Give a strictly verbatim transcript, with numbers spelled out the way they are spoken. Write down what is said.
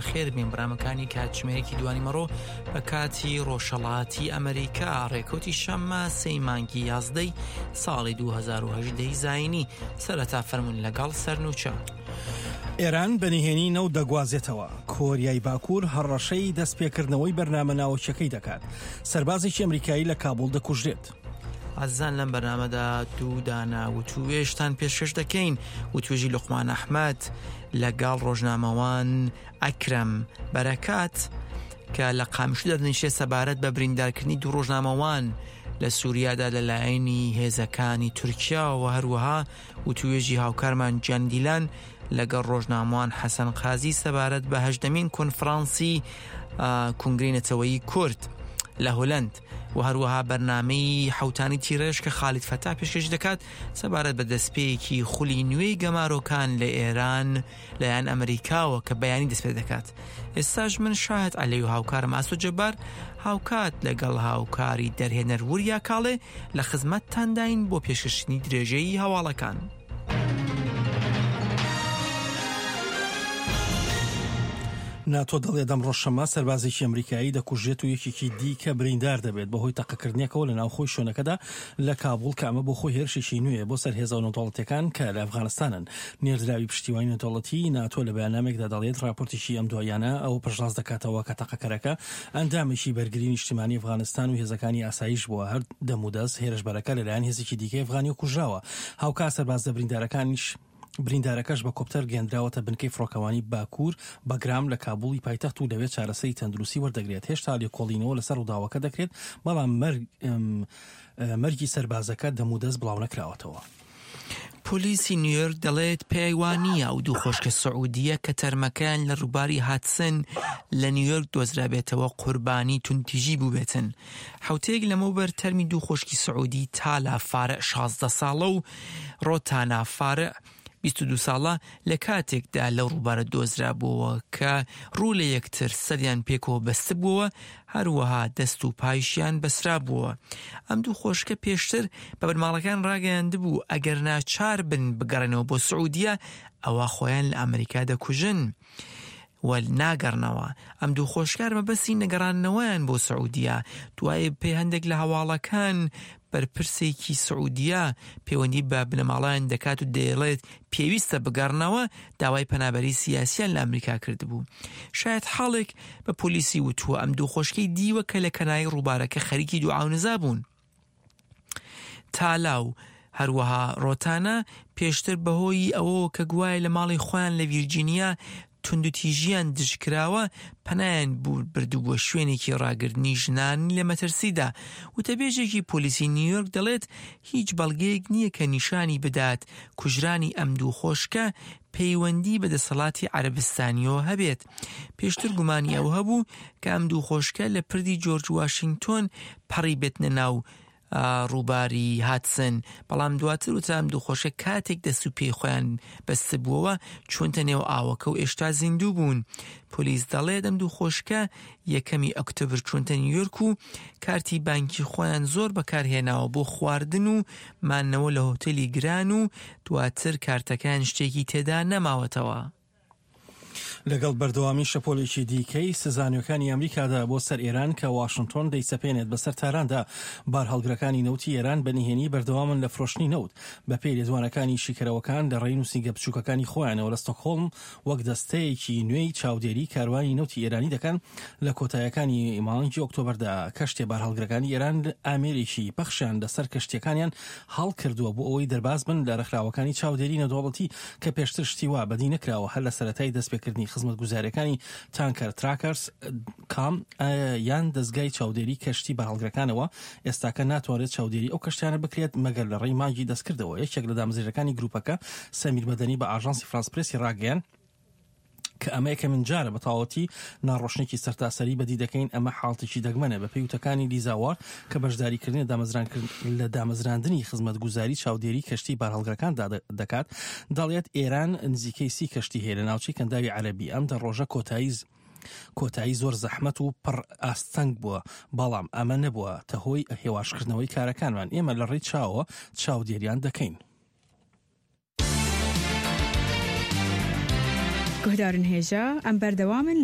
بەخێربێن بەرنامەکانی کاتژمێرێکی دوانیمەڕۆ بە کاتی ڕۆژهەڵاتی ئەمریکا، ڕێکەوتی شەممە سێی مانگی یازدەی ساڵی دوو هەزار و هەژدە ی زایینی. سەرەتا فەرموون لەگەڵ سەرنوچە. ئێران بە نهێنی نەوت دەگوازێتەوە. کۆریای باکوور هەڕەشەی دەستپێکردنەوەی بەرنامە ناوەکیەکەی دەکات. سەربازێکی ئەمریکایی لە کابوڵ دەکوژرێت. ئازیزان لەم بەرنامەدا دوو دانە وتوێژتان پێشکەش دەکەین. وتوێژی لوقمان ئەحمەد لەگەڵ ڕۆژنامەوان ئەکرەم بەرەکات کە لە قامشلی دەنیشێت سەبارەت بە بریندارکردنی دوو ڕۆژنامەوان لە سووریادا لەلایەنی هێزەکانی تورکیا و هەروەها وتوێژی هاوکارمان جیان دیلان لەگەڵ ڕۆژنامەوان حەسەن قازی سەبارەت بە هەژدەمین کۆنفرانسی کۆنگرەی نەتەوەیی کورد لە هۆلەند و هەروەها بەرنامەی حوتانی تیرێژ کە خالید فەتا پێشکەش دەکات سەبارەت بە دەستپێکی خولی نوێی گەمارۆکان لە ئێران لایەن ئەمریکاوە کە بەیانی دەست پێ دەکات. ئێستاش من شاهد عەلی و هاوکارم ئاسۆ جەبار هاوکات لەگەڵ هاوکاری دەرهێنەر وریا کاڵێ لە خزمەتتانداین بۆ پێشکەشکردنی درێژەی هەواڵەکان. ناتۆ دەڵێت ئەمڕۆ شەممە سەربازێکی ئەمریکایی دەکوژێت و یەکێکی دیکە بریندار دەبێت بەهۆی تەقەکردنێکەوە لە ناوخۆی شوێنەکەدا لە کابوڵ کە ئەمە بۆ خۆی هێرشێکی نوێیە بۆ سەر هێزە نێودەوڵەتیەکان کە لە ئەفغانستانن. نێردراوی پشتیوانی نێودەوڵەتی ناتۆ لە بەیاننامێکدا دەڵێت راپۆرتێکی ئەم دواییانە ئەوە پشتڕاست دەکاتەوە کە تەقەکەرەکە ئەندامێکی بەرگری نیشتیمانی ئەفغانستان و هێزەکانی ئاسایش بووە. هەر دەمودەست هێرشبەرەکە لەلایەن هێزێکی دیکەی ئەفغانی کوژراوە. هاوکات سەربازە بریندارەکانیش بریندارەکەش بە کۆپتەر گەندراوەتە بنکەی فڕۆکەوانی باکوور بەگرام لە کابوڵی پایتەخت و لەوێ چارەسەری تەندروستی وەردەگرێت. هێشتا لێکۆڵینەوە لەسەر ڕووداوەکە دەکرێت، بەڵام مەرگی سەربازەکە دەمودەست بڵاو نەکراوەتەوە. پۆلیسی نیویۆرک دەڵێت پێی وانییە ئەو دوو خۆشکە سعودیە کە تەرمەکەیان لە ڕووباری هاتسن لە نیویۆرک دۆزرابێتەوە قوربانی توندتیژی بووبێتن. حوتەیەک لەمەوبەر تەرمی دوو خۆشکی سعودی تالا فارع شازدە ساڵە و ڕۆتانا فارع بیست و دوو ساڵە لە کاتێکدا لەو ڕووبارە دۆزرابووەوە کە ڕوو لە یەکتر سەریان پێکەوە بەستبووەوە، هەروەها دەست و پایشیان بەسرابووەوە. ئەم دوو خۆشکە پێشتر بە بنەماڵەکان ڕاگەیاندبوو ئەگەر ناچار بن بگەڕێنەوە بۆ سعودیە ئەوە خۆیان لە ئەمریکا دەکوژن و ناگەڕنەوە. ئەم دوو خۆشکار مەبەستی نەگەڕانەوەیان بۆ سعودیە. دوای پێ هەندێک لە هەواڵەکان بەرپرسێکی سعودیە پەیوەندی بە بنەماڵیان دەکات و دەیڵێت پێویستە بگەڕنەوە، داوای پەنابەری سیاسیان لە ئەمریکا کردبوو. شاید حاڵێک بە پۆلیسی وتووە ئەم دوو خۆشکەی دیوە کە لە کەناری ڕووبارەکە خەریکی دوعا و نزا بوون. تالا و هەروەها ڕۆتانە پێشتر بەهۆی ئەوەوە کە گوایە لە ماڵی خۆیان لە ڤیرجینیا توندوتیژیان دژکراوە پەنایان بردووە شوێنێکی ڕاگرتنی ژنان لە مەترسیدا. وتەبێژێکی پۆلیسی نیویۆرک دەڵێت هیچ بەڵگەیەک نییە کە نیشانی بدات کوژرانی ئەم دوو خۆشکە پەیوەندی بە دەسەڵاتی عەرەبستانیەوە هەبێت. پێشتر گومانی ئەو هەبوو کە ئەم دوو خۆشکە لە پردی جۆرج واشنگتۆن پەڕی بێتنە ناو ڕووباری هاتسن، بەڵام دواتر وترا ئەم دوو خۆشکە کاتێک دەست و پێی خۆیان بەستبووەوە چوونتە نێو ئاوەکە و ئێشتا زیندوو بوون. پۆلیس دەڵێت ئەم دوو خۆشکە یەکەمی ئۆکتۆبر چوونتە نیویۆرک و کارتی بانکی خۆیان زۆر بەکارهێناوە بۆ خواردن و مانەوە لە هۆتێلی گران و دواتر کارتەکان شتێکی تێدا نەماوەتەوە. لەگەڵ بەردەوامی شەپۆلێکی دیکەی سزانیەکانی ئەمریکادا بۆ سەر ئێران کە واشنگتۆن دەیسەپێنێت بەسەر تاراندا، بارهەڵگرەکانی نەوتی ئێران بە نهێنی بەردەوامن لە فرۆشتنی نەوت. بەپێی لێدوانەکانی شیکەرەوەکان لە ڕێی نووسینگە بچووکەکانی خۆیانەوە لە ستۆکهۆڵم وەک دەستەیەکی نوێی چاودێری کاروانی نەوتی ئێرانی دەکەن. لە کۆتایەکانی مانگی ئۆکتۆبەردا کەشتێ بارهەڵگرەکانی ئێران ئامێرێکی پەخشیان لەسەر کەشتیەکانیان هەڵکردووە بۆ ئەوەی دەرباز بن لە ڕێکخراوەکانی چاودێری نێودەوڵەتی کە پێشتر شتی وا بەدی نەکراوە. هەر لە سەرەتای دەستپێکردنی خزمەتگوزاریەکانی تانکەر تراکەرز کام یان دەستگای چاودێری کەشتی بارهەڵگرەکانەوە ئێستاکە ناتوانێت چاودێری ئەو کەشتیانە بکرێت مەگەر لە ڕێی مانگی دەستکردەوە. یەکێک لە دامەزرێنەرەکانی گروپەکە سەمیر مەدەنی بە ئاژانسی فرانس پرێسی ڕاگەیاند کە ئەمە یەکەمین جارە بە تەواوەتی ناڕۆشنێکی سەرتاسەری بەدی دەکەین. ئەمە حاڵتێکی دەگمەنە. بەپێی وتەکانی لیزا وارد کە بەشداریکردنی لە دامەزراندنی خزمەتگوزاری چاودێری کەشتی بارهەڵگرەکاندا دەکات، دەڵێت ئێران نزیکەی سی کەشتی هەیە لە ناوچەی کەنداوی عەرەبی. ئەم دە ڕۆژە کۆتایی کۆتایی زۆر زەحمەت و پڕ ئاستەنگ بووە، بەڵام ئەمە نەبووە تە هۆی هێواشکردنەوەی کارەکانمان. ئێمە لە ڕێی چاوە چاودێریان دەکەین. گوهدارن هێژا ئەم بەردەوامن.